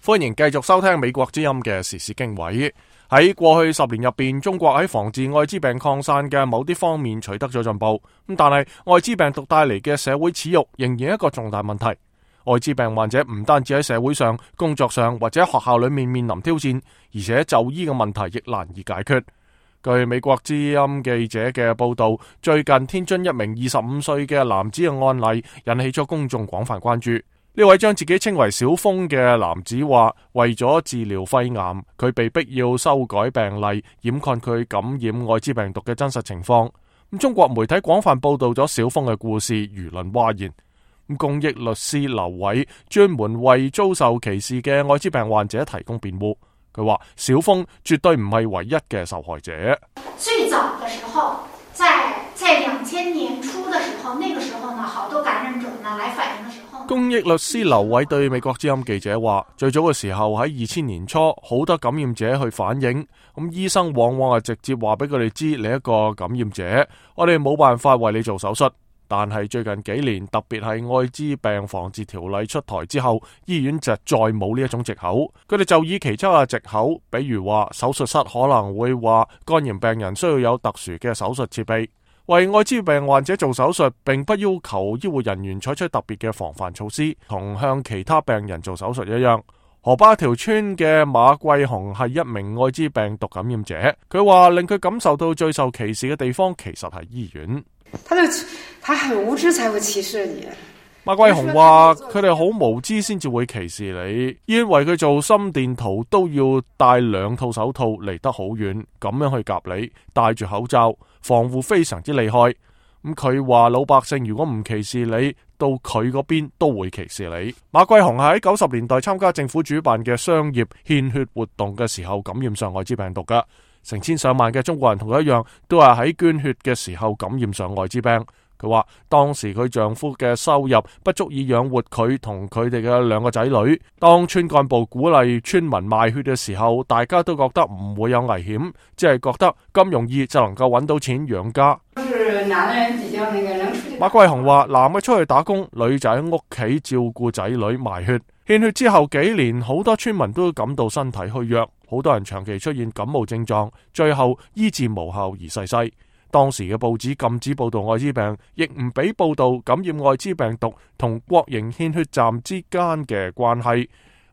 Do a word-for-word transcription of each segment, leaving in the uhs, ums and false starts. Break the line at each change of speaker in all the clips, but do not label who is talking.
歡迎繼續收聽美國之音嘅時事經緯。喺過去十年入邊，中國喺防治愛滋病擴散嘅某啲方面取得咗進步，咁但係愛滋病毒帶嚟嘅社會恥辱仍然一個重大問題。愛滋病患者唔單止喺社會上、工作上或者學校裏面面臨挑戰，而且就醫嘅問題亦難以解決。據美國之音記者嘅報道，最近天津一名二十五歲嘅男子嘅案例引起咗公眾廣泛關注。呢位將自己稱為小峰嘅男子話，為咗治療肺癌，佢被逼要修改病例，掩蓋佢感染愛滋病毒嘅真實情況。咁中國媒體廣泛報道咗小峰嘅故事，輿論譁然。咁公益律師劉偉專門為遭受歧視嘅愛滋病患者提供辯護。佢話小峰絕對唔係唯一嘅受害者。
最早嘅時候，在在兩千年初嘅時候，那個時候呢，好多感染者呢來反映嘅時候。
公益律師劉偉對美國之音記者話，最早嘅時候喺二千年初，好多感染者去反映，咁醫生往往係直接話俾佢哋知你一個感染者，我哋冇辦法為你做手術。但係最近幾年，特別係愛滋病防治條例出台之後，醫院就再冇呢一種藉口，佢哋就以其他嘅藉口，比如話手術室可能會話肝炎病人需要有特殊嘅手術設備。為愛滋病患者做手術，並不要求醫護人員採取特別嘅防範措施，同向其他病人做手術一樣。河北一條村嘅馬桂紅係一名愛滋病毒感染者，佢話令佢感受到最受歧視嘅地方其實係醫院。
他就他很無知才會歧視你。
馬桂紅話佢哋好無知先至會歧視你，因為佢做心電圖都要戴兩套手套，離得好遠，咁樣去夾你，戴住口罩，防護非常之厲害。咁佢話老百姓如果唔歧視你，到佢嗰邊都會歧視你。馬桂紅係喺九十年代參加政府主辦嘅商業獻血活動嘅時候感染上愛滋病毒噶。成千上萬嘅中國人同佢一樣，都係喺捐血嘅時候感染上愛滋病。佢話當時佢丈夫嘅收入不足以養活佢同佢哋嘅兩個仔女。當村幹部鼓勵村民賣血嘅時候，大家都覺得唔會有危險，只係覺得咁容易就能夠揾到錢養家。馬桂紅話男嘅出去打工，女仔喺屋企照顧仔女賣血。獻血之後幾年，好多村民都感到身體虛弱，好多人長期出現感冒症狀，最後醫治無效而逝世。當時嘅報紙禁止報道愛滋病，亦唔俾報道感染愛滋病毒同國營獻血站之間嘅關係。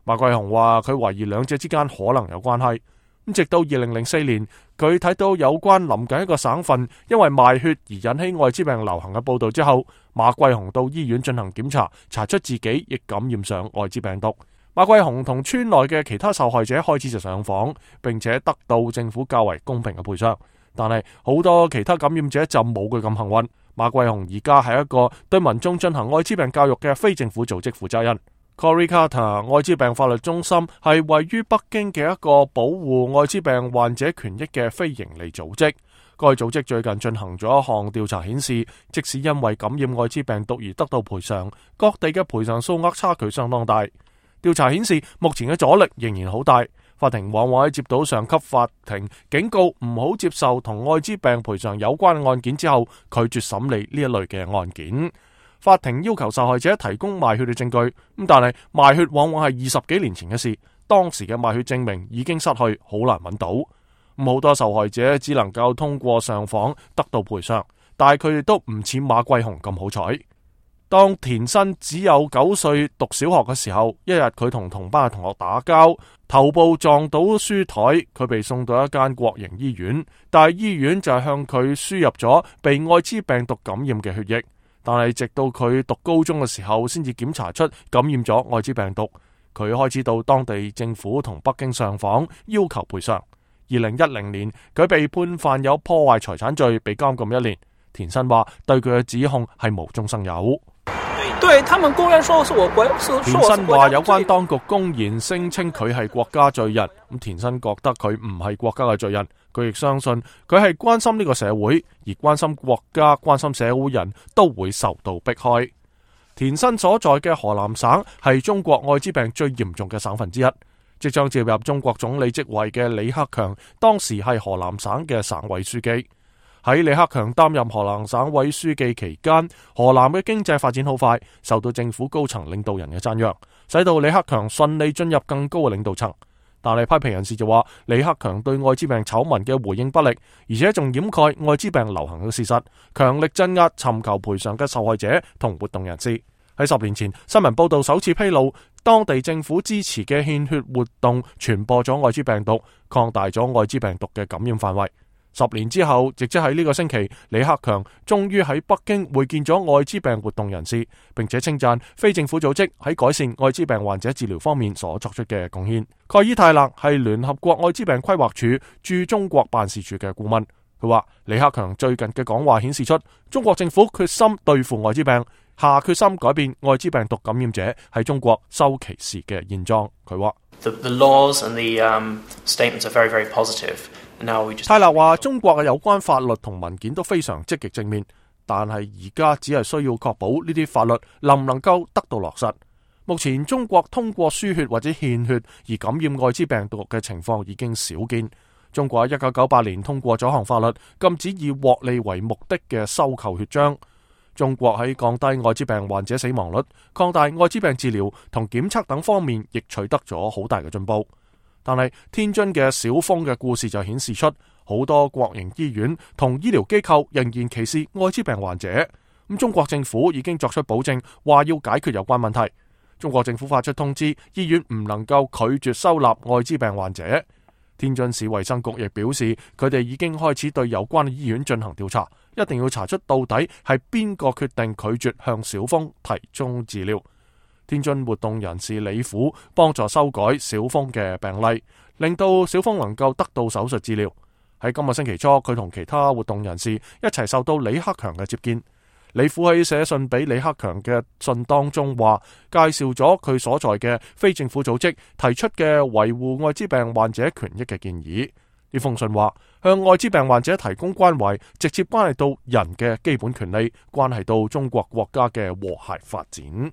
馬桂紅話佢懷疑兩者之間可能有關係。咁直到二零零四年，佢睇到有關臨近一個省份因為賣血而引起愛滋病流行嘅報道之後，馬桂紅到醫院進行檢查，查出自己亦感染上愛滋病毒。馬桂紅同村內嘅其他受害者開始就上訪，並且得到政府較為公平嘅賠償。但係好多其他感染者就冇佢咁幸運。馬桂紅而家係一個對民眾進行愛滋病教育嘅非政府組織負責人。Cory Carter 愛滋病法律中心係位於北京嘅一個保護愛滋病患者權益嘅非營利組織。該組織最近進行咗一項調查，顯示即使因為感染愛滋病毒而得到賠償，各地嘅賠償數額差距相當大。調查顯示目前嘅阻力仍然好大。法庭往往喺接到上級法庭警告唔好接受同愛滋病賠償有關嘅案件之後，拒絕審理呢一類嘅案件。法庭要求受害者提供賣血嘅證據，咁但係賣血往往係二十幾年前嘅事，當時嘅賣血證明已經失去，好難揾到。咁好多受害者只能夠通過上訪得到賠償，但係佢哋都唔似馬桂紅咁好彩。當田新只有九歲讀小學嘅時候，一日佢同同班嘅同學打交，頭部撞到書台，佢被送到一間國營醫院，但係醫院就係向佢輸入咗被愛滋病毒感染嘅血液，但係直到佢讀高中嘅時候，先至檢查出感染咗愛滋病毒。佢開始到當地政府同北京上訪，要求賠償。二零一零年，佢被判犯有破壞財產罪，被監禁一年。田新話對佢嘅指控係無中生有。
對他們公然說是我國，
田新話有關當局公然聲稱佢係國家罪人，咁田新覺得佢唔係國家嘅罪人，佢亦相信佢係關心呢個社會，而關心國家、關心社會人都會受到迫害。田新所在嘅河南省係中國愛滋病最嚴重嘅省份之一，即將接入中國總理職位嘅李克強當時係河南省嘅省委書記。喺李克強擔任河南省委書記期間，河南嘅經濟發展好快，受到政府高層領導人嘅讚揚，使到李克強順利進入更高嘅領導層。但係批評人士就話，李克強對艾滋病醜聞嘅回應不力，而且仲掩蓋艾滋病流行嘅事實，強力鎮壓尋求賠償嘅受害者同活動人士。喺十年前，新聞報道首次披露，當地政府支持嘅獻血活動傳播咗艾滋病毒，擴大咗艾滋病毒嘅感染範圍。十年之後，亦即喺呢個星期，李克強終於喺北京會見咗艾滋病活動人士，並且稱讚非政府組織喺改善艾滋病患者治療方面所作出嘅貢獻。蓋伊泰勒係聯合國艾滋病規劃署駐中國辦事處嘅顧問，佢話李克強最近嘅講話顯示出中國政府決心對付艾滋病，下決心改變艾滋病毒感染者喺中國受歧視嘅現狀。佢話
The, the laws and the um, statements are very, very positive.
泰勒話中國嘅有關法律同文件都非常積極正面，但係而家只係需要確保呢啲法律能唔能夠得到落實。目前中國通過輸血或者獻血而感染艾滋病毒嘅情況已經少見。中國喺一九九八年通過咗項法律，禁止以獲利為目的嘅收購血漿。中國喺降低艾滋病患者死亡率、擴大艾滋病治療同檢測等方面亦取得咗好大嘅進步。但係天津嘅小峰嘅故事就顯示出，好多國營醫院同醫療機構仍然歧視艾滋病患者。咁中國政府已經作出保證，話要解決有關問題。中國政府發出通知，醫院唔能夠拒絕收納艾滋病患者。天津市衛生局亦表示，佢哋已經開始對有關醫院進行調查，一定要查出到底係邊個決定拒絕向小峰提供治療。天津活動人士李虎幫助修改小峰嘅病例，令到小峰能夠得到手術治療。喺今個星期初，佢同其他活動人士一齊受到李克強嘅接見。李虎喺寫信俾李克強嘅信當中話，介紹咗佢所在嘅非政府組織提出嘅維護艾滋病患者權益嘅建議。呢封信話，向艾滋病患者提供關懷，直接關係到人嘅基本權利，關係到中國國家嘅和諧發展。